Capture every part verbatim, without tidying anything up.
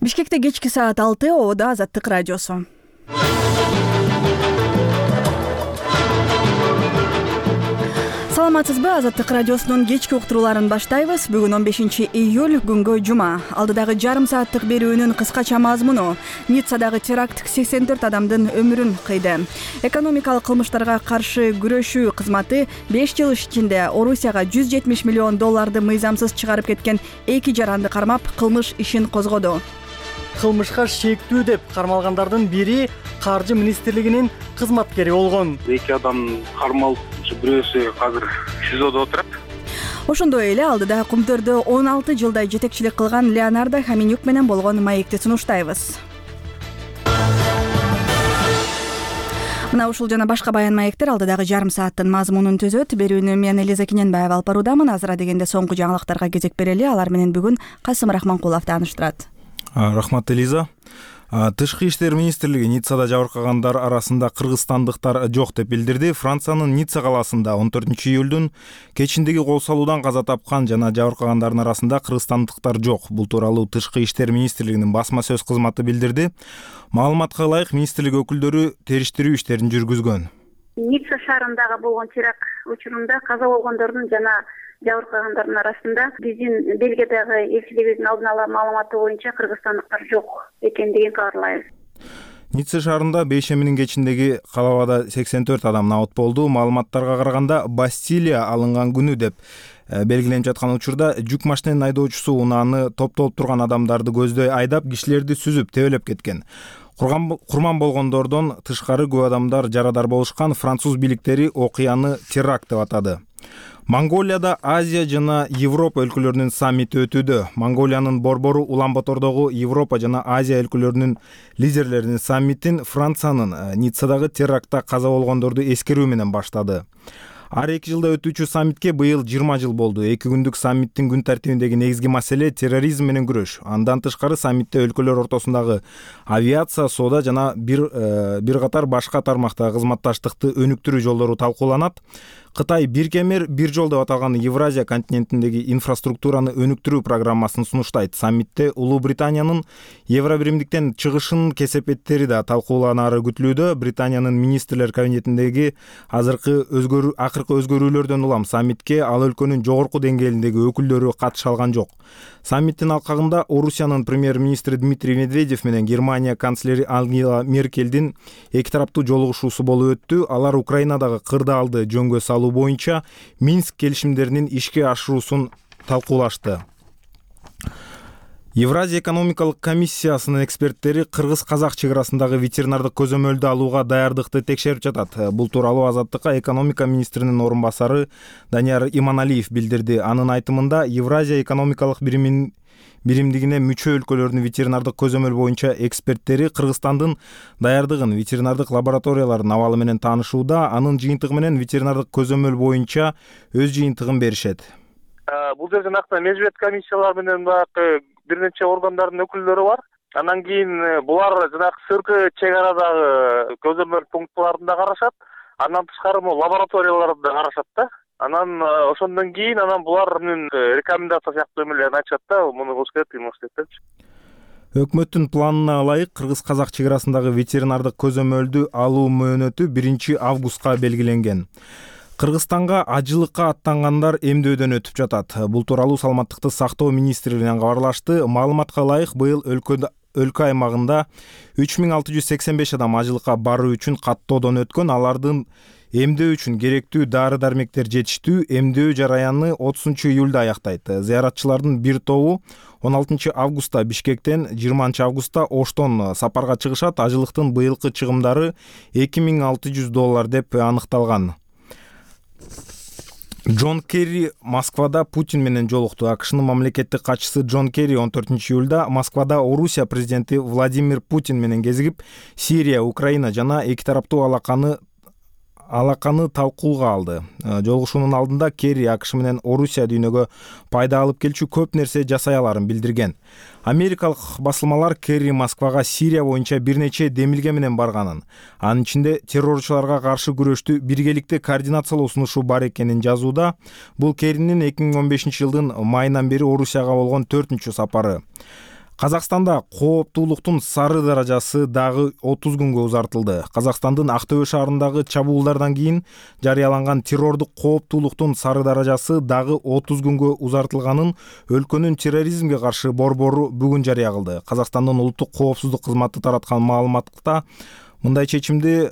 Бишкекте кечки саат алты, Ободо Азаттык радиосу. Саламатсызбы? Азаттык радиосунун кечки уктурууларын баштайбыз. Бүгүн он бешинчи июль, күнгө жума. Алдыдагы жарым сааттык берүүнүн кыскача мазмуну: Ниццадагы теракт сексен төрт адамдын өмүрүн кыйды. Экономикалык кылмыштарга каршы күрөшүү кызматы беш жыл ичинде Орусияга жүз жетимиш миллион долларды мыйзамсыз чыгарып кеткен эки жаранды кармап, кылмыш ишин козгоду. Кылмышка шектүү деп кармалгандардын бири Каржы министрлигинин кызматкери болгон. Эки адам кармалып, бирөөсү азыр СИЗОдо отурат. Ошондой эле алдыда Кумтөрдө он алты жылдай жетекчилик кылган Леонардо Хоменюк менен болгон маекти сунуштайбыз. Мына ушул жана башка баян маектер алдыдагы жарым сааттын мазмунун түзөт. Берүүнү мен Элиза Кененбаева алып баруудамын. Азыра дегенде соңку жаңылыктарга кезек берели. Алар менен бүгүн Касым Рахманкулов тааныштырат. Рахмат, Элиза. Тышкы иштер министрлиги Ниццада жабыркагандар арасында кыргызстандыктар жок деп билдирди. Франциянын Ницца калаасында он төртүнчү июлдун кечиндеги кол салуудан каза тапкан жана жабыркагандардын арасында кыргызстандыктар жок. Бул тууралуу Тышкы иштер министрлигинин басма сөз кызматы билдирди. Маалыматка ылайык, министрлик өкүлдөрү териштирүү иштерин жүргүзгөн. Ницца шаарындагы болгон теракт учурунда каза болгондордун жана жабыркагандардын арасында биздин Бельгиядагы элчилигибиздин алдын ала маалыматы боюнча кыргызстандыктар жок экендигин кабарлайбыз. Ницца шаарында бейшембинин кечиндеги калабада сексен төрт адам набыт болду. Маалыматтарга караганда, Бастилия алынган күнү деп белгиленип жаткан учурда жүк машинанын айдоочусу унааны топтолуп турган адамдарды көздөй айдап, кишилерди сүзүп тебелеп кеткен. Курман болгондордон тышкары көп адамдар жарадар болушкан. Француз бийликтери окуяны теракт деп атады. Монголияда Азия жана Европа өлкөлөрүнүн саммити өтүүдө. Монголиянын борбору Улан-Батордогу Европа жана Азия өлкөлөрүнүн лидерлеринин саммитин Франциянын Ниццадагы терактта каза болгондорду эскерүү менен баштады. Ар эки жылда өтүүчү саммитке быйыл жыйырма жыл болду. Эки күндүк саммиттин күн тартибиндеги негизги маселе терроризм менен күрөш. Андан тышкары саммитте өлкөлөр ортосундагы авиация, соода жана бир бир катар башка тармактагы кызматташтыкты өнүктүрүү жолдору талкууланат. Кытай бир кемер бир жол деп аталган Евразия континентиндеги инфраструктураны өнүктүрүү программасын сунуштайт. Саммитте Улуу Британиянын Евробиримдиктен чыгышынын кесепеттери да талкууланары күтүлүүдө. Британиянын министрлер кабинетиндеги азыркы өзгөрүү акыркы өзгөрүүлөрдөн улам саммитке ал өлкөнүн жогорку деңгээлиндеги өкүлдөрү катыша алган жок. Саммиттин алкагында Орусиянын премьер-министри Дмитрий Медведев менен Германия канцлери Ангела Меркелдин эки тараптуу жолугушуусу болуп өттү. Алар Украинадагы кырдаалды жөнгө салуу боюнча Минск келишимдеринин ишке ашыруусун талкуулашты. Евразия экономикалык комиссиясынын эксперттери кыргыз-казак чек арасындагы ветеринардык көзөмөлдү алууга даярдыкты текшерип жатат. Бул тууралуу Азаттыкка экономика министринин орун басары Данияр Иманалиев билдирди. Анын айтымында, Евразия экономикалык биримин биримдигине мүчө өлкөлөрдүн ветеринардык көзөмөл боюнча эксперттери Кыргызстандын даярдыгын, ветеринардык лабораториялардын абалы менен таанышууда, анын жыйынтыгы менен ветеринардык көзөмөл боюнча өз жыйынтыгын беришет. Бул жерде накта межбет комиссиялар менен баягы бир нече органдардын өкүлдөрү бар. Андан кийин булар жанагы сырткы чек арадагы көзөмөл пунктларында карашат. Андан тышкары могу лабораторияларда карашат да. Анан ошондон кийин анан булардын рекомендация сыяктуу эмелерин айтышат да, муну кылыш керек, тигини кылыш керек депчи. Өкмөттүн планына ылайык кыргыз-казак чек арасындагы ветеринардык көзөмөлдү алуу мөөнөтү биринчи августка белгиленген. Кыргызстанга ажылыкка аттангандар эмдөөдөн өтүп жатат. Бул тууралуу Саламаттыкты сактоо министрлигинен кабарлашты. Маалыматка ылайык, быйыл өлкөдө өлкө аймагында үч миң алты жүз сексен беш адам ажылыкка баруу үчүн каттоодон өткөн. Алардын эмдөө үчүн керектүү дары-дармектер жетиштүү. Эмдөө жараяны отузунчу июлда аяктайт. Зыяратчылардын бир тобу он алтынчы августта Бишкектен, жыйырманчы августта Оштон сапарга чыгышат. Ажылыктын быйылкы чыгымдары эки миң алты жүз доллар деп аныкталган. Джон Керри Москвада Путин менен жолукту. АКШнын мамлекеттик катчысы Джон Керри он төртүнчү июлда Москвада Орусия президенти Владимир Путин менен кезигип, Сирия, Украина жана эки тараптуу алаканы алаканы талкууга алды. Жолугушуунун алдында Керри АКШ менен Орусия дүйнөгө пайда алып келчү көп нерсе жасай аларын билдирген. Америкалык басылмалар Керри Москвага Сирия боюнча бир нече демилге менен барганын, анын ичинде террорчуларга каршы күрөштү биргеликте координациялоо сунушу бар экенин жазууда. Бул Керринин эки миң он бешинчи жылдын майынан бери Орусияга болгон төртүнчү сапары. Казакстанда кооптуулуктун сары даражасы дагы отуз күнгө узартылды. Казакстандын Актөбө шаарындагы чабуулдардан кийин жарыяланган террордук кооптуулуктун сары даражасы дагы отуз күнгө узартылганын өлкөнүн терроризмге каршы борбору бүгүн жарыя кылды. Казакстандын улуттук коопсуздук кызматы тараткан маалыматта мындай чечимди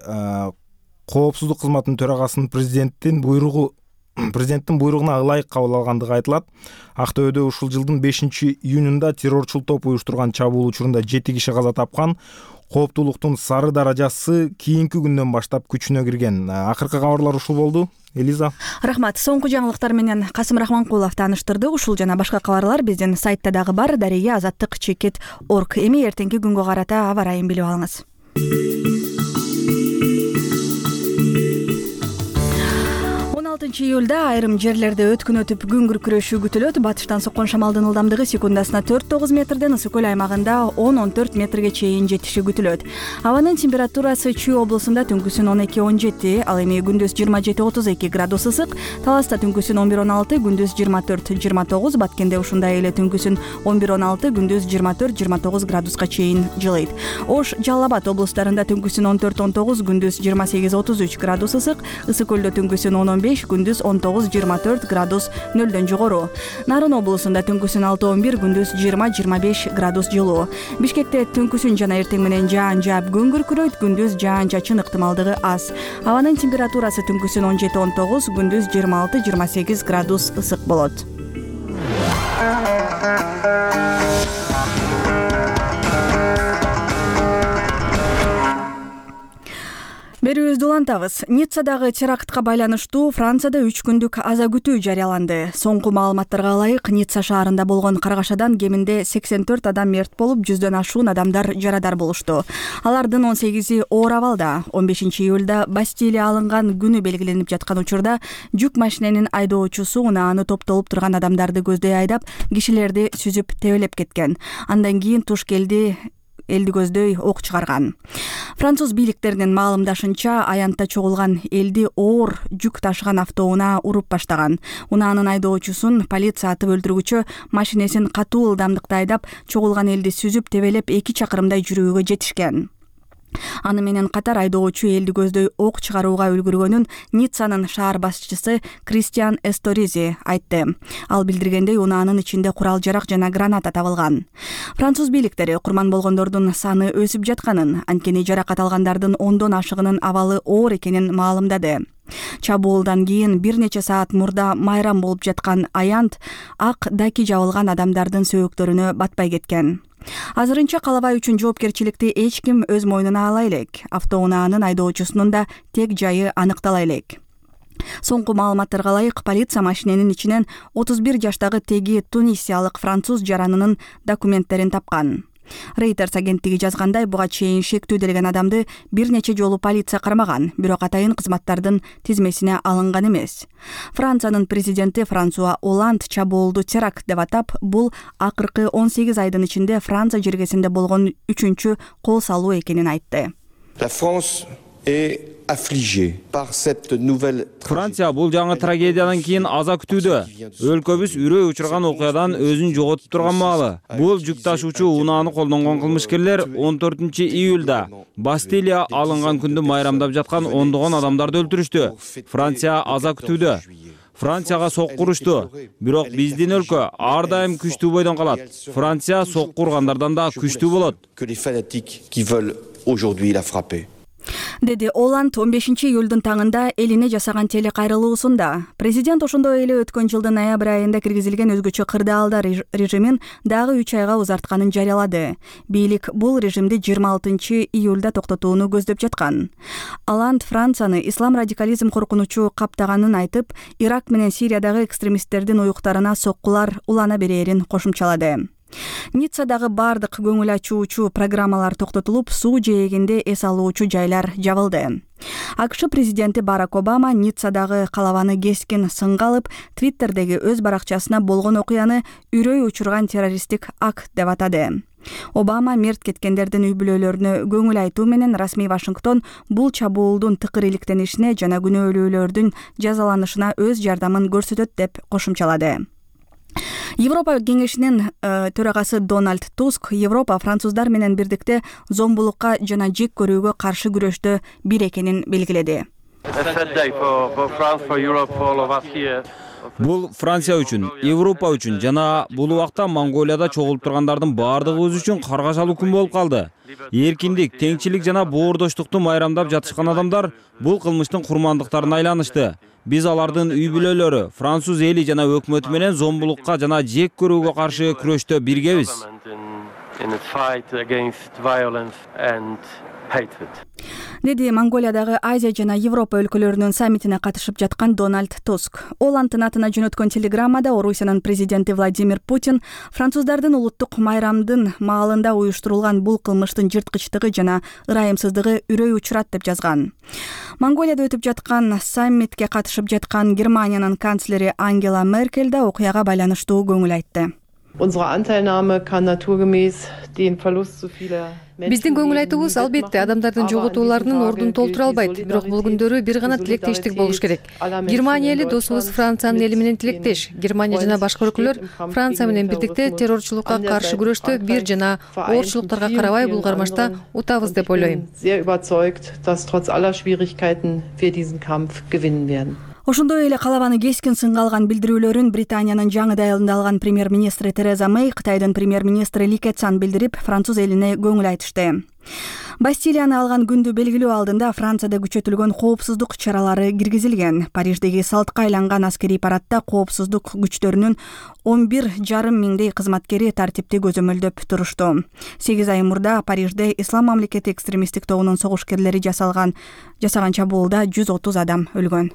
коопсуздук кызматынын төрагасынын президенттин буйругу президенттин буйругуна ылайык кабыл алгандыгы айтылат. Актөбөдө ушул жылдын бешинчи июнунда террорчул топ уюштурган чабуул учурунда жети киши каза тапкан. Кооптуулуктун сары даражасы кийинки күндөн баштап күчүнө кирген. Акыркы кабарлар ушул болду. Элиза. Рахмат. Соңку жаңылыктар менен Касым Рахманкулов тааныштырды. Ушул жана башка кабарлар биздин сайтта дагы бар. Дарыя азаттык чекит точка орг. Эми эртеңки күнгө карата аба ырайын билип алыңыз. он алтынчы июлда айрым жерлерде өткүн өтүп күн күркүрөшү күтүлөт. Батыштан соккон шамалдын ылдамдыгы секундасына төрт тогуз метрден, ысык көл аймагында он он төрт метрге чейин жетиши күтүлөт. Абанын температурасы Чүй облусунда түнкүсүн он эки он жети, ал эми күндүз жыйырма жети отуз эки градус ысык, Таласта түнкүсүн он бир он алты, күндүз жыйырма төрт жыйырма тогуз, Баткенде ушундай эле түнкүсүн он бир он алты, күндүз жыйырма төрт жыйырма тогуз градуска чейин жылыйт. Ош, Жалал Абад облустарында түнкүсүн он төрт он тогуз, күндүз жыйырма сегиз отуз үч градус ысык, Ысык көлдө түнкүсүн он он беш, күндүз он тогуз жыйырма төрт градус нөлдөн жогору. Нарын облусунда түнкүсүн алты он бир, күндүз жыйырма жыйырма беш градус жылуу. Бишкекте түнкүсүн жана эртең менен жаан жаап күн күркүрөйт, күндүз жаан-чачын ыктымалдыгы аз. Абанын температурасы түнкүсүн он жети он тогуз, күндүз жыйырма алты жыйырма сегиз градус ысык болот. Берүүбүздү улантабыз. Ниццадагы терактка байланыштуу Францияда үч күндүк аза күтүү жарыяланды. Соңку маалыматтарга ылайык, Ницца шаарында болгон каргашадан кеминде сексен төрт адам мерт болуп, жүздөн ашуун адамдар жарадар болушту. Алардын он сегизи оор абалда. он бешинчи июлда Бастилия алынган күнү белгиленип жаткан учурда жүк машиненин айдоочусу унааны топтолуп турган адамдарды көздөй айдап, кишилерди сүзүп тебелеп кеткен. Андан кийин туш келди элди көздөй ок чыгарган. Француз бийликтеринин маалымдашынча, аянтта чогулган элди оор жүк ташыган автоунаа уруп баштаган. Унаанын айдоочусун полиция атып өлтүргүчө машинесин катуу ылдамдыкта айдап, чогулган элди сүзүп тебелеп эки чакырымдай жүрүүгө жетишкен. Аны менен катар айдоочу элди көздөй ок чыгарууга үлгүргөнүн Ниццанын шаар башчысы Кристиан Эсторизи айтты. Ал билдиргендей, унаанын ичинде курал-жарак жана граната табылган. Француз бийликтери курман болгондордун саны өсүп жатканын, анткени жаракат алгандардын ондон ашыгынын абалы оор экенин маалымдады. Чабуулдан кийин бир нече саат мурда майрам болуп жаткан аянт ак даки жабылган адамдардын сөөктөрүнө батпай кеткен. Азырынча калабай үчүн жоопкерчиликти эч ким өз мойнуна ала элек. Автоунаанын айдоочусунун да тег жайы аныктала элек. Соңку маалыматтарга ылайык, полиция машиненин ичинен отуз бир жаштагы теги тунисиялык француз жаранынын документтерин тапкан. Reuters агенттиги жазгандай, буга чейин шектүү делген адамды бир нече жолу полиция кармаган, бирок атайын кызматтардын тизмесине алынган эмес. Франциянын президенти Франсуа Оланд чабуулду теракт деп атап, бул акыркы он сегиз айдын ичинде Франция жергесинде болгон үчүнчү кол салуу экенин айтты. La France est affligée par cette nouvelle. Франция бул жаңы трагедиядан кийин аза күтүүдө. Өлкөбүз үрөй учурган окуядан өзүн жоготуп турган маалы. Бул жүк ташуучу унааны колдонгон кылмышкерлер он төртүнчү июлда Бастилия алынган күндү майрамдап жаткан ондогон адамдарды өлтүрүштү. Франция аза күтүүдө. Францияга сокку урушту. Бирок биздин өлкө ар дайым күчтүү бойдон калат. Франция сокку ургандардан да күчтүү болот. Que les fanatiques qui veulent aujourd'hui la frapper. Деди Оланд он бешинчи июлдун таңында элине жасаган телекайрылуусунда. Президент ошондой эле өткөн жылдын ноябрь айында киргизилген өзгөчө кырдаалдар режимин дагы үч айга узартканын жарыялады. Бийлик бул режимди жыйырма алтынчы июлда токтотууну көздөп жаткан. Оланд Францияны ислам радикализм коркунучу каптаганын айтып, Ирак менен Сириядагы экстремисттердин уюктарына соккулар улана берерин кошумчалады. Ниццадагы бардык көңүл ачуучу программалар токтотулуп, суу жээгинде эс алуучу жайлар жабылды. АКШ президенти Барак Обама Ниццадагы калабаны кескин сынга алып, Твиттердеги өз баракчасына болгон окуяны үрөй учурган террористтик акт деп атады. Обама мерт кеткендердин үй бүлөлөрүнө көңүл айтуу менен расмий Вашингтон бул чабуулдун тыкыр иликтенишине жана күнөөлүүлөрдүн жазаланышына өз жардамын көрсөтөт деп кошумчалады. Европа кеңешинин төрагасы Дональд Туск Европа француздар менен бирдикте зомбулукка жана жек көрүүгө каршы күрөштө бир экенин белгиледи. Бул Франция үчүн, Европа үчүн жана бул убакта Монголияда чогулуп тургандардын баардыгыбыз үчүн каргашалуу күн болуп калды. Эркиндик, теңчилик жана боордоштукту майрамдап жатышкан адамдар бул кылмыштын курмандыктарына айланышты. Биз алардын үй бүлөлөрү, француз эли жана өкмөтү менен зомбулукка жана жек көрүүгө каршы күрөштө биргебиз. Деди Монголиядагы Азия жана Европа өлкөлөрүнүн саммитине катышып жаткан Дональд Туск. Ол анын атына жөнөткөн телеграммада Орусиянын президенти Владимир Путин француздардын улуттук майрамдын маалында уюштурулган бул кылмыштын жырткычтыгы жана ырайымсыздыгы үрөй учурат деп жазган. Монголияда өтүп жаткан саммитке катышып жаткан Германиянын канцлери Ангела Меркель да окуяга байланыштуу көңүл айтты. Биздин көңүл айтуубуз албетте адамдардын жоготууларынын ордун толтура албайт, бирок бул күндөрү бир гана тилектештик болуш керек. Германия эли досубуз Франциянын эли менен тилектеш. Германия жана башка өлкөлөр Франция менен бирдикте террорчулукка каршы күрөштө бир жана оорчулуктарга карабай бул кармашта утабыз деп ойлойм. Ошондой эле калабаны кескин сынга алган билдирүүлөрүн Британиянын жаңыдай айылында алган премьер-министри Тереза Мэй Кытайдын премьер-министри Ли Кэцан билдирип, француз элине көңүл айтышты. Бастилияны алган күндү белгилөө алдында Францияда күчөтүлгөн коопсуздук чаралары киргизилген. Париждеги салтка айланган аскерий парадта коопсуздук күчтөрүнүн он бир жарым миңдей кызматкери тартипти көзөмөлдөп турушту. сегиз ай мурда Парижде Ислам мамлекети экстремисттик тобунун согушкерлери жасалган жасаган чабуулда жүз отуз адам өлгөн.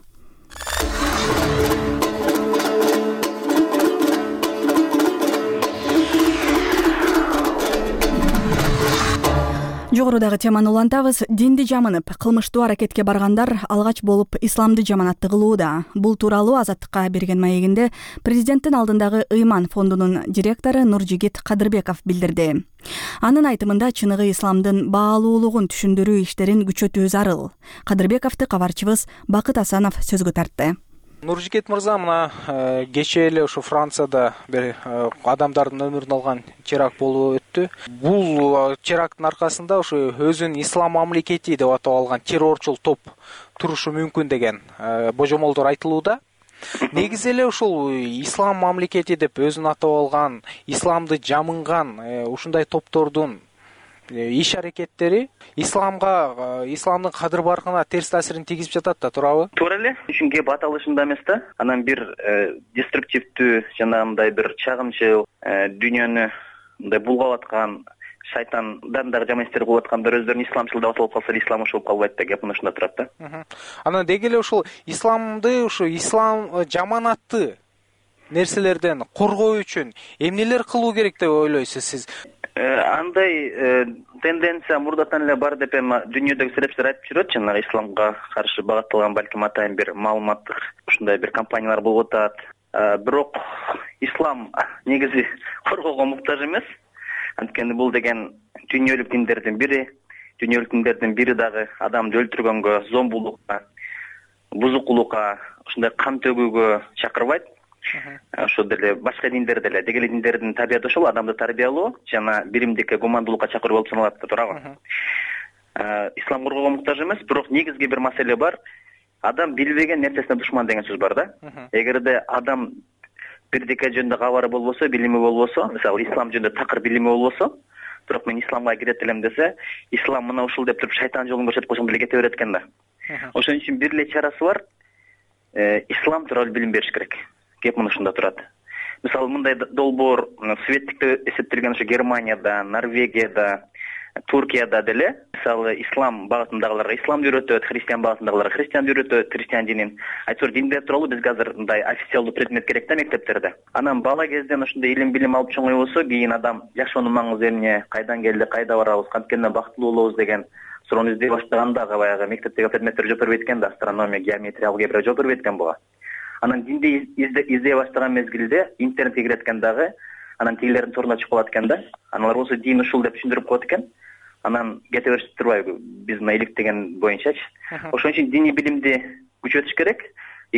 Жогорудагы теманы улантабыз. Динди жамынып, кылмыштуу аракетке баргандар алгач болуп исламды жаманатты кылууда. Бул тууралуу Азаттыкка берген маегинде президенттин алдындагы Ыйман фондунун директору Нуржигит Кадырбеков билдирди. Анын айтымында чыныгы исламдын баалуулугун түшүндүрүү иштерин күчөтүү зарыл. Кадырбековду кабарчыбыз Бакыт Асанов сөзгө тартты. Нуржигит мырза, мына кечээ эле ушу Францияда бир адамдардын өмүрүн алган теракт болуп өттү. Бул теракттын аркасында ушу өзүн ислам мамлекети деп атап алган террорчул топ турушу мүмкүн деген божомолдор айтылууда. Негизи эле ушул ислам мамлекети деп өзүн атап алган, исламды жамынган ушундай топтордун иш аракеттери исламга, исламдын кадыр баркына терс таасирин тийгизип жатат да, туурабы? Туура эле. Үчүн кеп аталышында эмес да. Анан бир деструктивдүү жанагындай бир чагымчыл дүйнөнү мындай булгап аткан шайтандан дагы жаман иштер кылып аткандар өздөрүн исламчыл деп аталып калса, ислам ошол калбайт да, кеп ушунда турат да. Анан деги эле ушул исламды, ушу ислам жаманатты нерселерден коргоо үчүн эмнелер кылуу керек деп ойлойсуз сиз? Андай тенденция мурдатан эле бар деп эми дүйнөдөгү серепчилер айтып жүрөт. Жанагы исламга каршы багытталган балким атайын бир маалыматтык ушундай бир компаниялар болуп атат. Бирок ислам негизи коргоого муктаж эмес. Анткени бул деген дүйнөлүк диндердин бири, дүйнөлүк диндердин бири дагы адамды өлтүргөнгө, зомбулукка, бузукулукка, ушундай кан төгүүгө чакырбайт. Ошо деле башка диндер деле, деги эле диндердин табияты ошол, адамды тарбиялоо жана биримдикке, гумандуулукка чакыруу болуп саналат да, туурабы? Ислам коргоого муктаж эмес, бирок негизги бир маселе бар. Адам билбеген нерсесине душман деген сөз бар да. Эгерде адам бирдике жөнүндө кабары болбосо, билими болбосо, мисалы ислам жөнүндө такыр билими болбосо, бирок мен исламга кирет элем десе, ислам мына ушул деп туруп шайтан жолун көрсөтүп койсоң деле кете берет экен да. Ошон үчүн бир эле чарасы бар. Ислам тууралуу билим бериш керек. Кеп мына ушунда турат. Мисалы мындай долбоор светтикте эсептелген ушу Германияда, Норвегияда, Туркияда деле, мисалы ислам багытындагыларга исламды үйрөтөт, христиан багытындагыларга христианды үйрөтөт, христиан динин. Айтор диндер тууралуу бизге азыр мындай официалдуу предмет керек да мектептерде. Анан бала кезден ушундай илим билим алып чоңой болсо, кийин адам жашоонун маңызы эмне, кайдан келди, кайда барабыз, канткен бактылуу болобуз деген суроону издей баштаганда баягы мектептеги предметтер жооп бербейт экен да, астрономия, геометрия, алгебра жооп бербейт экен буга. Анан динди издей баштаган мезгилде интернетке кирет экен дагы, анан тигилердин торунда чыгып калат экен да. Аналар болсо дин ушул деп түшүндүрүп коет экен. Анан кете беришип турбайбы биз мына иликтеген боюнчачы. Ошон үчүн диний билимди күчөтүш керек.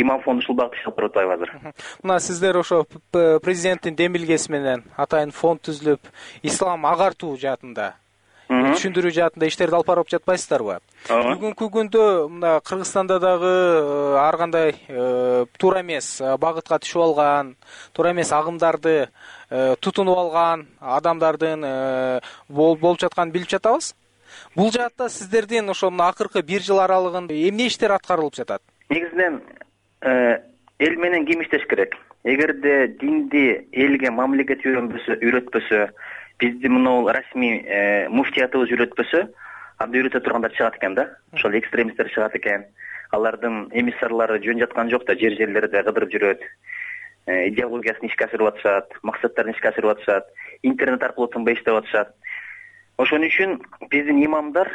имам фонду ушул багытта иш алып барып атпайбы азыр. Мына сиздер ошо президенттин демилгеси менен атайын фонд түзүлүп, ислам агартуу жаатында, түшүндүрүү жаатында иштерди алып барып жатпайсыздарбы? Бүгүнкү күндө мына Кыргызстанда дагы ар кандай туура эмес багытка түшүп алган, туура эмес агымдарды тутунуп алган адамдардын болуп жатканын билип жатабыз. Бул жаатта сиздердин ошо мына акыркы бир жыл аралыгында эмне иштер аткарылып жатат? Негизинен эл менен ким иштеш керек? Эгерде динди элге мамлекет үйрөнбөсө, үйрөтпөсө, бизди мына расмий муфтиятыбыз үйрөтпөсө, анда үйрөтө тургандар чыгат экен да. Ошол экстремисттер чыгат экен. Алардын эмиссарлары жөн жаткан жок да, жер жерлерде кыдырып жүрөт. Идеологиясын ишке ашырып атышат, максаттарын ишке ашырып атышат, интернет аркылуу тынбай иштеп атышат. Ошон үчүн биздин имамдар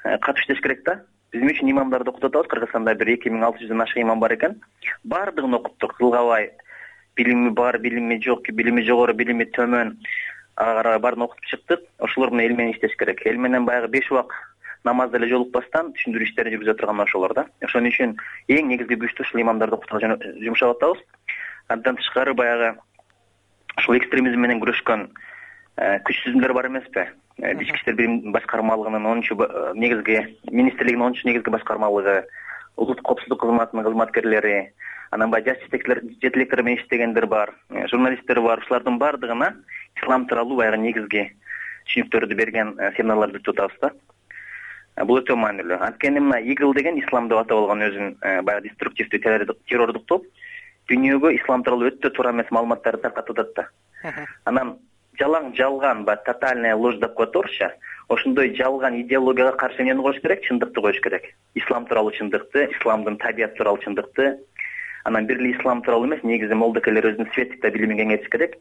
катыш иштеш керек да. Биздин үчүн имамдарды окутуп атабыз. Кыргызстанда бир эки миң алты жүздөн ашык имам бар экен. Бардыгын окуттук. Кылгабай, билими бар, билими жок, билими жогору, билими төмөн, ага карабай баарын окутуп чыктык. Ошолор менен эл менен иштеш керек. Эл менен баягы беш убак намазды эле жолукпастан түшүндүрүү иштерин жүргүзө турган ошолор да. Ошон үчүн эң негизги күчтү ушул имамдарды окутууга жумшап атабыз. Андан тышкары баягы ушул экстремизм менен күрөшкөн күч түзүмдөр бар эмеспи? Ички иштер башкармалыгынын онунчу негизги министрлигинин онунчу негизги башкармалыгы, улуттук коопсуздук кызматынын кызматкерлери, анан баягы жаш жетелектер менен иштегендер бар, журналисттер бар. Ушулардын бардыгына ислам тууралуу баягы негизги түшүнүктөрдү берген семинарларды өтүп атабыз да. Бул өтө маанилүү. Анткени мына игил деген ислам деп атап алган өзүн баягы деструктивдүү террордук топ дүйнөгө ислам тууралуу өтө туура эмес маалыматтарды таркатып атат да. Анан жалаң жалган ба тотальная ложь деп коет орусча. Ошондой жалган идеологияга каршы эмнени коюш керек? Чындыкты коюш керек. Ислам тууралуу чындыкты, исламдын табияты тууралуу чындыкты. Анан бир эле ислам тууралуу эмес, негизи молдокелер өзүнүн светтик билимин кеңейтиш керек.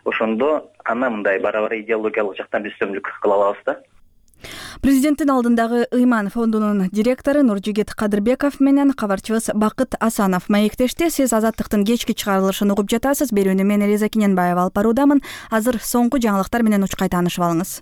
Ошондо анан мындай бара-бара идеологиялык жактан биз үстөмдүк кыла алабыз да. Президенттин алдындагы Ыйман фондунун директору Нуржигит Кадырбеков менен кабарчыбыз Бакыт Асанов маектешти. Сиз Азаттыктын кечки чыгарылышын угуп жатасыз. Берүүнү мен Элиза Кененбаева алып баруудамын. Азыр соңку жаңылыктар менен учкай таанышып алыңыз.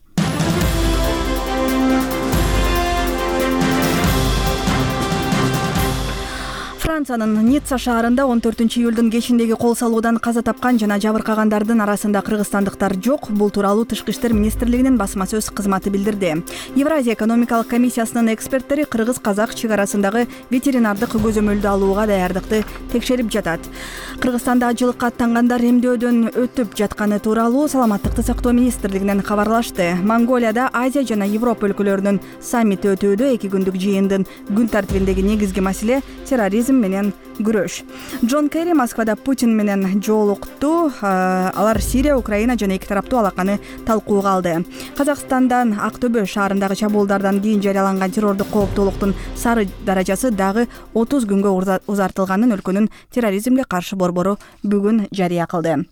Франциянын Ницца шаарында он төртүнчү июлдун кечиндеги кол салуудан каза тапкан жана жабыркагандардын арасында кыргызстандыктар жок. Бул тууралуу Тышкы иштер министрлигинин басма сөз кызматы билдирди. Евразия экономикалык комиссиясынын эксперттери кыргыз-казак чек арасындагы ветеринардык көзөмөлдү алууга даярдыкты текшерип жатат. Кыргызстанда ажылыкка аттангандар эмдөөдөн өтүп жатканы тууралуу Саламаттыкты сактоо министрлигинен кабарлашты. Монголияда Азия жана Европа өлкөлөрүнүн саммити өтүүдө. Эки күндүк жыйындын күн тартибиндеги негизги маселе терроризм менен күрөш. Джон Керри Москвада Путин менен жолукту. Алар Сирия, Украина жана эки тараптуу алаканы талкууга алды. Казакстандан Актөбө шаарындагы чабуулдардан кийин жарыяланган террордук кооптуулуктун сары даражасы дагы отуз күнгө узартылганын өлкөнүн терроризмге каршы борбору бүгүн жарыя кылды.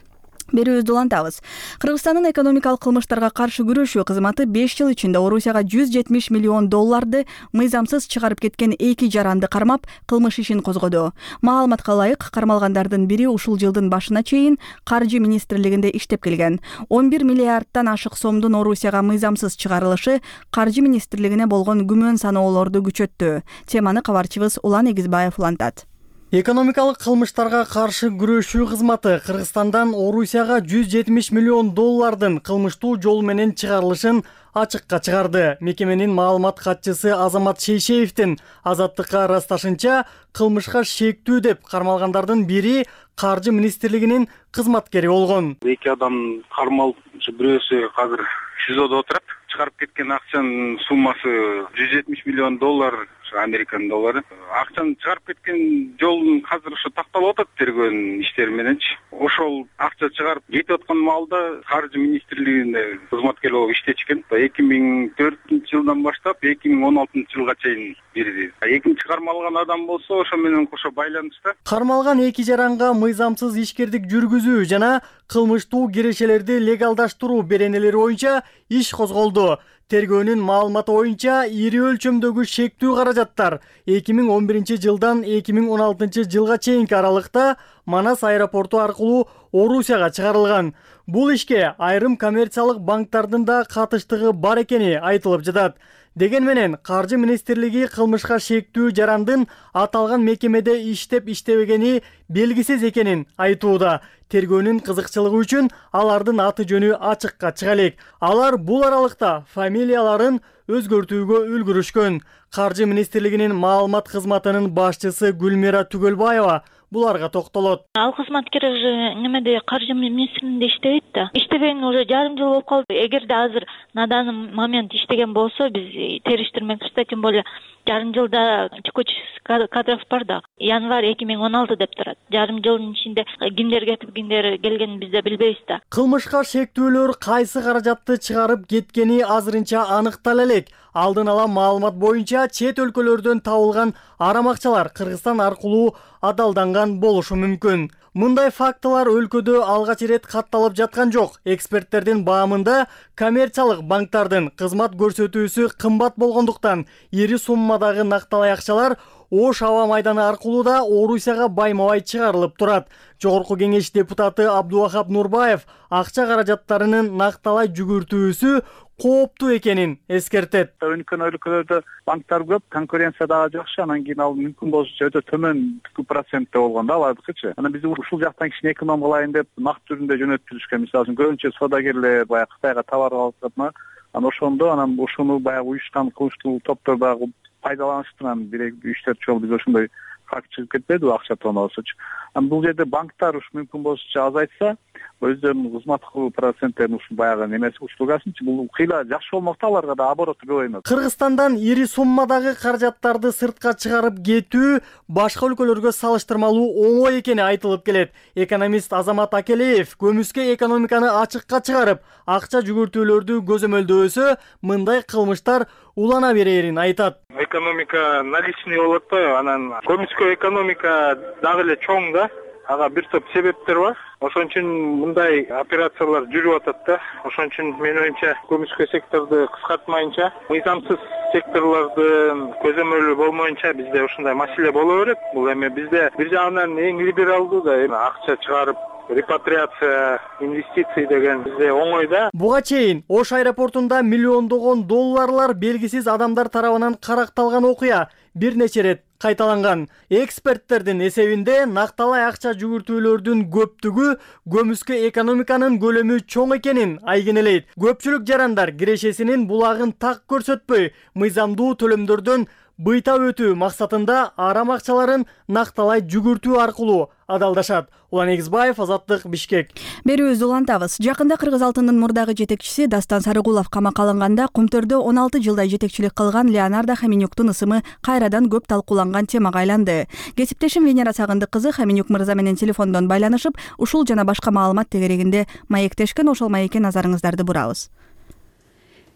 Берүүбүздү улантабыз. Кыргызстандын экономикалык кылмыштарга каршы күрөшүү кызматы беш жыл ичинде Орусияга жүз жетимиш миллион долларды мыйзамсыз чыгарып кеткен эки жаранды кармап, кылмыш ишин козгоду. Маалыматка ылайык, кармалгандардын бири ушул жылдын башына чейин Каржы министрлигинде иштеп келген. он бир миллиардтан ашык сомдун Орусияга мыйзамсыз чыгарылышы Каржы министрлигине болгон күмөн саноолорду күчөттү. Теманы кабарчыбыз Улан Эгизбаев улантат. Экономикалык кылмыштарга каршы күрөшүү кызматы Кыргызстандан Орусияга жүз жетимиш миллион доллардын кылмыштуу жол менен чыгарылышын ачыкка чыгарды. Мекеменин маалымат катчысы Азамат Шейшеевдин Азаттыкка ырасташынча, кылмышка шектүү деп кармалгандардын бири Каржы министрлигинин кызматкери болгон. Эки адам кармалып, бирөөсү азыр ШИЗОдо отурат. Чыгарып кеткен акчанын суммасы жүз жетимиш миллион доллар, американ доллары. Акчаны чыгарып кеткен жолун азыр ошо такталып атат тергөөнүн иштери мененчи. Ошол акча чыгарып кетип аткан маалда Каржы министрлигинде кызматкер болуп иштечкен. эки миң төртүнчү жылдан баштап эки миң он алтынчы жылга чейин бирди. Экинчи кармалган адам болсо ошо менен кошо байланышта. Кармалган эки жаранга мыйзамсыз ишкердик жүргүзүү жана кылмыштуу кирешелерди легалдаштыруу беренелери боюнча иш козголду. Тергөөнүн маалыматы боюнча ири өлчөмдөгү шектүү каражаттар эки миң он биринчи жылдан эки миң он алтынчы жылга чейинки аралыкта Манас аэропорту аркылуу Орусияга чыгарылган. Бул ишке айрым коммерциялык банктардын да катыштыгы бар экени айтылып жатат. Деген менен Каржы министрлиги кылмышка шектүү жарандын аталган мекемеде иштеп иштебегени белгисиз экенин айтууда. Тергөөнүн кызыкчылыгы үчүн алардын аты жөнү ачыкка чыга элек. Алар бул аралыкта фамилияларын өзгөртүүгө үлгүрүшкөн. Каржы министрлигинин маалымат кызматынын башчысы Гүлмира Түгөлбаева буларга токтолот. Ал кызматкер уже немеде Каржы министрлигинде иштебейт да. Иштебегенине уже жарым жыл болуп калды. Эгерде азыр на данный момент иштеген болсо, биз териштирмекчи да, тем более жарым жылда текучий кадров бар да. Январь эки миң он алты деп турат. Жарым жылдын ичинде кимдер кетип, кимдер келгенин биз да билбейбиз да. Кылмышка шектүүлөр кайсы каражатты чыгарып кеткени азырынча аныктала элек. Алдын ала маалымат боюнча чет өлкөлөрдөн табылган арам акчалар Кыргызстан аркылуу адалданган болушу мүмкүн. Мындай фактылар өлкөдө алгач ирет катталып жаткан жок. Эксперттердин баамында коммерциялык банктардын кызмат көрсөтүүсү кымбат болгондуктан ири суммадагы накталай акчалар Ош аба майданы аркылуу да Орусияга байма-бай чыгарылып турат. Жогорку кеңеш депутаты Абдувахап Нурбаев акча каражаттарынын накталай жүгүртүүсү кооптуу экенин эскертет. Өнүккөн өлкөлөрдө банктар көп, конкуренция дагы жакшы, анан кийин ал мүмкүн болсо өтө төмөн процентте болгон да алардыкычы. Анан биз ушул жактан кичине эконом кылайын деп накт түрүндө жөнөттүрүшкөн. Мисалы үчүн көбүнчө саудагерлер баягы Кытайга товар алып жатма, анан ошондо анан ушуну баягы уюшкан кылмыштуу топтор дагы пайдаланышты. Анан бир үч төрт жолу биз ошондой факт чыгып кетпеди акча тоноосучу. Анан бул жерде банктар ушу мүмкүн болсо азайтса, өздөрүнүн кызмат кылуу проценттерин ушу баягы немеси услугасынчы бул кыйла жакшы болмокта, аларга да обороту көбөймөк. Кыргызстандан ири суммадагы каражаттарды сыртка чыгарып кетүү башка өлкөлөргө салыштырмалуу оңой экени айтылып келет. Экономист Азамат Акелеев көмүскө экономиканы ачыкка чыгарып, акча жүгүртүүлөрдү көзөмөлдөбөсө, мындай кылмыштар улана берерин айтат. Экономика наличный болот атпайбы? Анан көмүскө экономика дагы эле чоң да. Ага бир топ себептер бар. Ошон үчүн мындай операциялар жүрүп атат да. Ошон үчүн менин оюмча көмүскө секторду кыскартмайынча, мыйзамсыз секторлордун көзөмөлү болмоюнча бизде ушундай маселе боло берет. Бул эми бизде бир жагынан эң либералдуу да, эми акча чыгарып репатриация, инвестиции деген бизде оңой да. Буга чейин Ош аэропортунда миллиондогон долларлар белгисиз адамдар тарабынан каракталган окуя бир нече рет кайталанган. Эксперттердин эсебинде накталай акча жүгүртүүлөрдүн көптүгү көмүскө экономиканын көлөмү чоң экенин айгинелейт. Көпчүлүк жарандар кирешесинин булагын так көрсөтпөй, мыйзамдуу төлөмдөрдөн быйта өтүү максатында арам акчаларын накталай жүгүртүү аркылуу адалдашат. Улан Эгизбаев, Азаттык, Бишкек. Берүүбүздү улантабыз. Жакында Кыргыз алтынынын мурдагы жетекчиси Дастан Сарыгулов камакка алынганда Кумтөрдө он алты жылдай жетекчилик кылган Леонардо Хоменюктун ысымы кайрадан көп талкууланган темага айланды. Кесиптешим Венера Сагындык кызы Хоменюк мырза менен телефондон байланышып, ушул жана башка маалымат тегерегинде маектешкен, ошол маекке назарыңыздарды бурабыз.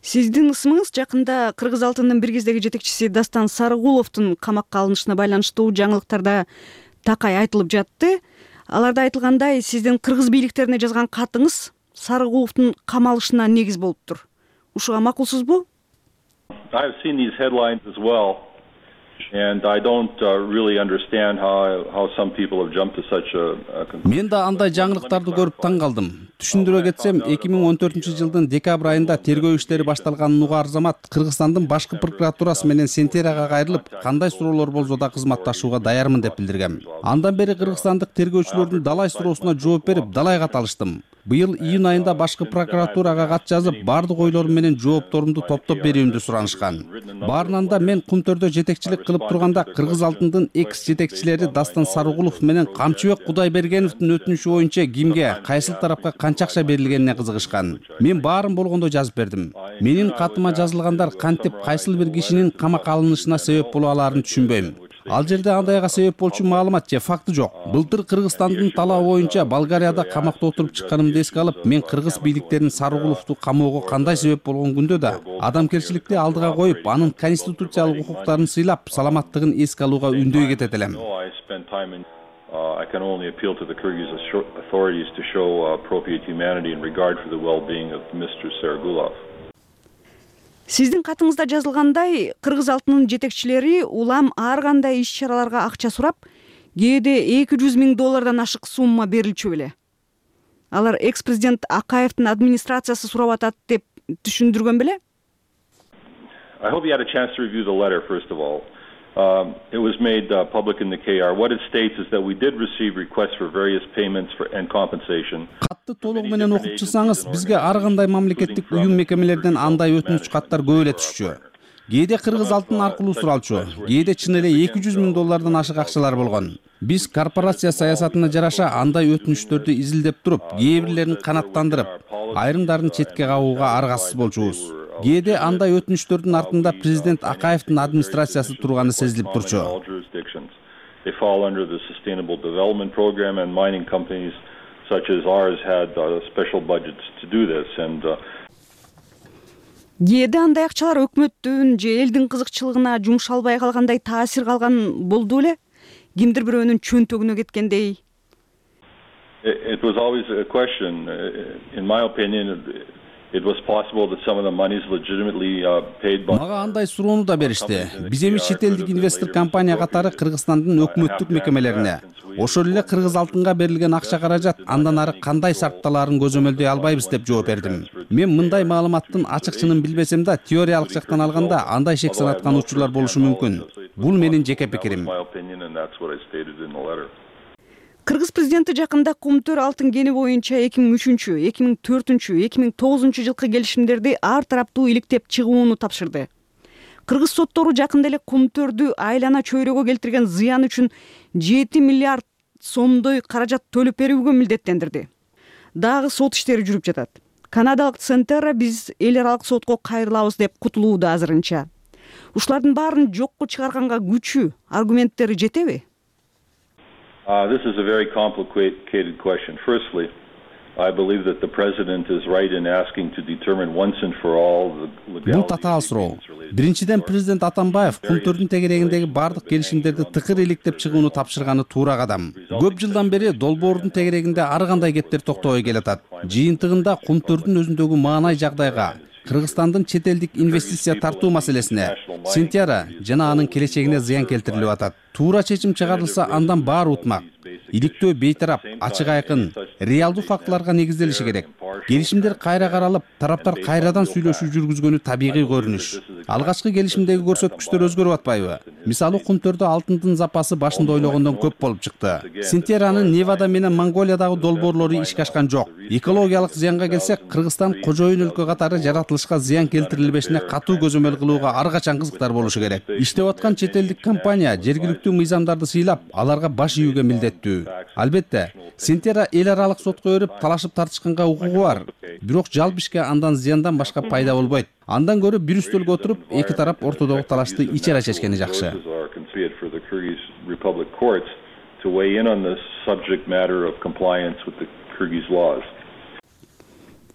Сиздин ысымыңыз жакында Кыргыз алтынынын бир кездеги жетекчиси Дастан Сарыгуловдун камакка алынышына байланыштуу жаңылыктарда такай айтылып жатты. Аларда айтылгандай, сиздин кыргыз бийликтерине жазган катыңыз Сарыгуловдун камалышына негиз болуптур. Ушуга макулсузбу? I've seen these headlines as well, and I don't uh, really understand how how some people have jumped to such a, a conclusion. Мен да андай жаңылыктарды көрүп таң калдым. Түшүндүрө кетсем, эки миң он төртүнчү жылдын декабрь айында тергөө иштери башталганын угаар замат Кыргызстандын башкы прокуратурасы менен Сентерага кайрылып, кандай суроолор болсо да кызматташууга даярмын деп билдиргем. Андан бери кыргызстандык тергөөчүлөрдүн далай суроосуна жооп берип, далайга талыштым. Быйыл июнь айында башкы прокуратурага кат жазып, бардык ойлорум менен жоопторумду топтоп берүүмдү суранышкан. Баарынан да мен Кумтөрдө жетекчилик кылып турганда Кыргыз алтынынын экс жетекчилери Дастан Сарыгулов менен Камчыбек Кудайбергеновдун өтүнүшү боюнча кимге, кайсыл тарапка канча акча берилгенине кызыгышкан. Мен баарын болгондой жазып бердим. Менин катыма жазылгандар кантип кайсыл бир кишинин камакка алынышына себеп боло алаарын түшүнбөйм. Ал жерде андайга себеп болчу маалымат же факты жок. Былтыр Кыргызстандын талабы боюнча Болгарияда камакта отуруп чыкканымды эске алып, мен кыргыз бийликтерин Сарыгуловду камоого кандай себеп болгон күндө да адамгерчиликти алдыга коюп, анын конституциялык укуктарын сыйлап, саламаттыгын эске алууга үндөй кетет элем. I can only appeal to the Kyrgyz authorities to show appropriate humanity and regard for the well-being of Mister Sarıgulov. Сиздин катыңызда жазылгандай, Кыргыз алтынынын жетекчилери улам ар кандай иш-чараларга акча сурап, кээде эки жүз миң доллардан ашык сумма берилчү беле. алар экс президент Акаевдин администрациясы сурап атат деп түшүндүргөн беле? I hope you had a chance to review the letter, first of all. Um, it was made uh, public in the K R. What it states is that we did receive requests for various payments for and compensation. Катты толугу менен окуп чыксаңыз, бизге ар кандай мамлекеттик уюм мекемелерден андай өтүнүч каттар көп эле түшчү. Кээде Кыргыз алтын аркылуу суралчу, кээде чын эле эки жүз миң доллардан ашык акчалар болгон. Биз корпорация саясатына жараша андай өтүнүчтөрдү изилдеп туруп, кээ бирлерин канаттандырып, айрымдарын четке кагууга аргасыз болчубуз. Кээде андай өтүнүчтөрдүн артында президент Акаевдин администрациясы турганы сезилип турчу. They fall under the Sustainable Development Program, and mining companies such as ours had uh, special budgets to do this. And кээде андай акчалар өкмөттүн же элдин кызыкчылыгына жумшалбай калгандай таасир калган болду эле? Кимдир бирөөнүн чөнтөгүнө кеткендей? It was always a question. In my opinion, it was possible that some of the money is legitimately uh, paid by. Мага андай суроону да беришти. Биз эми чет элдик инвестор компания катары Кыргызстандын өкмөттүк мекемелерине, ошол эле Кыргыз алтынга берилген акча каражат андан ары кандай шартталарын көзөмөлдөй албайбыз деп жооп бердим. Мен мындай маалыматтын ачык чынын билбесем да, теориялык жактан алганда андай шек санаткан учурлар болушу мүмкүн. Бул менин жеке пикирим. Кыргыз президенти жакында Кумтөр алтын кени боюнча эки миң үчүнчү, эки миң төртүнчү, эки миң тогузунчу жылкы келишимдерди ар тараптуу иликтеп чыгууну тапшырды. Кыргыз соттору жакында эле Кумтөрдү айлана чөйрөгө келтирген зыян үчүн жети миллиард сомдой каражат төлөп берүүгө милдеттендирди. Дагы сот иштери жүрүп жатат. Канадалык Centerra биз эл аралык сотко кайрылабыз деп кутулууда азырынча. Ушулардын баарын жокко чыгарганга күчү, аргументтери жетеби? Uh, this is a very complicated question. Firstly, I believe that the president is right in asking to determine once and for all the legality. Бул татаал суроо. Биринчиден, президент Атамбаев Кумтөрдүн тегерегиндеги бардык келишимдерди тыкыр иликтеп чыгууну тапшырганы туура кадам. Көп жылдан бери долбоордун тегерегинде ар кандай кептер токтобой келатат. Жыйынтыгында Кумтөрдүн өзүндөгү маанай жагдайга, Кыргызстандын чет элдик инвестиция тартуу маселесине, Сентяра жана анын келечегине зыян келтирилип атат. Туура чечим чыгарылса, андан баары утмак. Иликтөө бейтарап, ачык айкын, реалдуу фактыларга негизделиши керек. Келишимдер кайра каралып, тараптар кайрадан сүйлөшүү жүргүзгөнү табигый көрүнүш. Алгачкы келишимдеги көрсөткүчтөр өзгөрүп атпайбы? Мисалы, Кумтөрдө алтындын запасы башында ойлогондон көп болуп чыкты. Сентяранын Невада менен Монголиядагы долбоорлору ишке ашкан жок. Экологиялык зыянга келсек, Кыргызстан кожоюн өлкө катары жаратылышка зыян келтирилбешине катуу көзөмөл кылууга ар качан кызыктар болушу керек. Иштеп аткан чет элдик компания жергиликтүү мыйзамдарды сыйлап, аларга баш ийүүгө милдеттүү. Албетте, Сентяра эл аралык сотко өрүп, талашып тартышканга укугу бар. Бирок жалпы ишке андан зыяндан башка пайда болбойт. Андан көрүп бир үстөлгө отуруп, эки тарап ортодогу талашты ичара чечкени жакшы.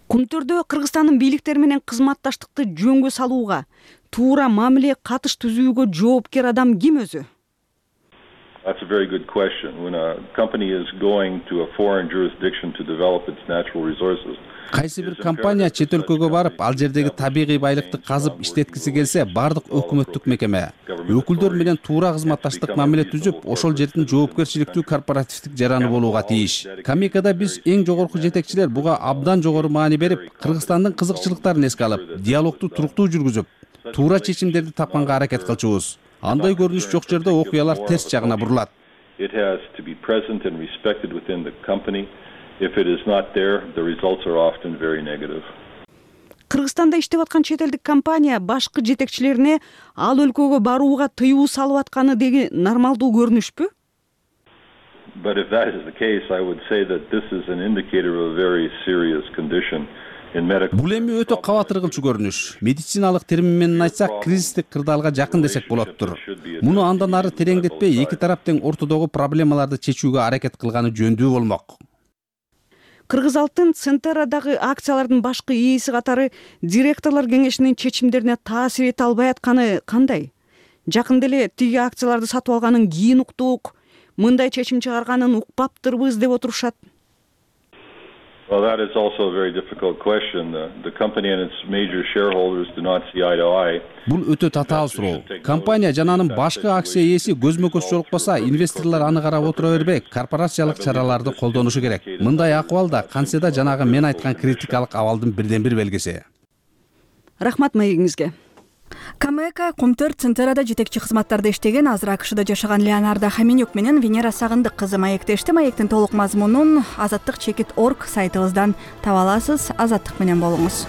Кумтөрдө Кыргызстандын бийликтери менен кызматташтыкты жөнгө салууга, туура мамиле катыш түзүүгө жоопкер адам ким өзү? That's a very good question. When a company is going to a foreign jurisdiction to develop its natural resources, кайсы бир компания чет өлкөгө барып, ал жердеги табигый байлыкты казып иштеткиси келсе, бардык өкмөттүк мекеме, өкүлдөр менен туура кызматташтык мамиле түзүп, ошол жердин жоопкерчиликтүү корпоративдик жараны болууга тийиш. Камикада биз эң жогорку жетекчилер буга абдан жогору маани берип, Кыргызстандын кызыкчылыктарын эске алып, диалогду туруктуу жүргүзүп, туура чечимдерди тапканга аракет кылчубуз. Андай көрүнүш жок жерде окуялар терс жагына бурулат. It has to be present and respected within the company. If it is not there, the results are often very negative. Кыргызстанда иштеп аткан чет элдик компания башкы жетекчилерине ал өлкөгө барууга тыюу салып атканы деги нормалдуу көрүнүшпү? But if that is the case, I would say that this is an indicator of a very serious condition. Бул эми өтө кабатыргылчу көрүнүш. Медициналык термин менен айтсак, кризистик кырдаалга жакын десек болоттур. Муну андан ары тереңдетпей, эки тарап тең ортодогу проблемаларды чечүүгө аракет кылганы жөндүү болмок. Кыргыз алтын Centerradагы акциялардын башкы ээси катары директорлор кеңешинин чечимдерине таасир эте албай атканы кандай? Жакында эле тиги акцияларды сатып алганын кийин уктук, мындай чечим чыгарганын укпаптырбыз деп отурушат. Well, that is also a very difficult question. The, the company and its major shareholders do not see eye to eye. Бул өтө татаал суроо. Компания жана анын башкы акция ээси көзмө-көз жолукпаса, инвесторлор аны карап отура бербей, корпорациялык чараларды колдонушу керек. Мындай акыбалда кантсе жанагы мен айткан критикалык абалдын бирден бир белгиси. Рахмат маегиңизге. Камека Кумтөр Центрада жетекчи кызматтарда иштеген, азыр АКШда жашаган Леонардо Хаменюк менен Венера Сагындык кызы маектешти. Маектин толук мазмунун азаттык чекит точка орг сайтыбыздан таба аласыз. Азаттык менен болуңуз.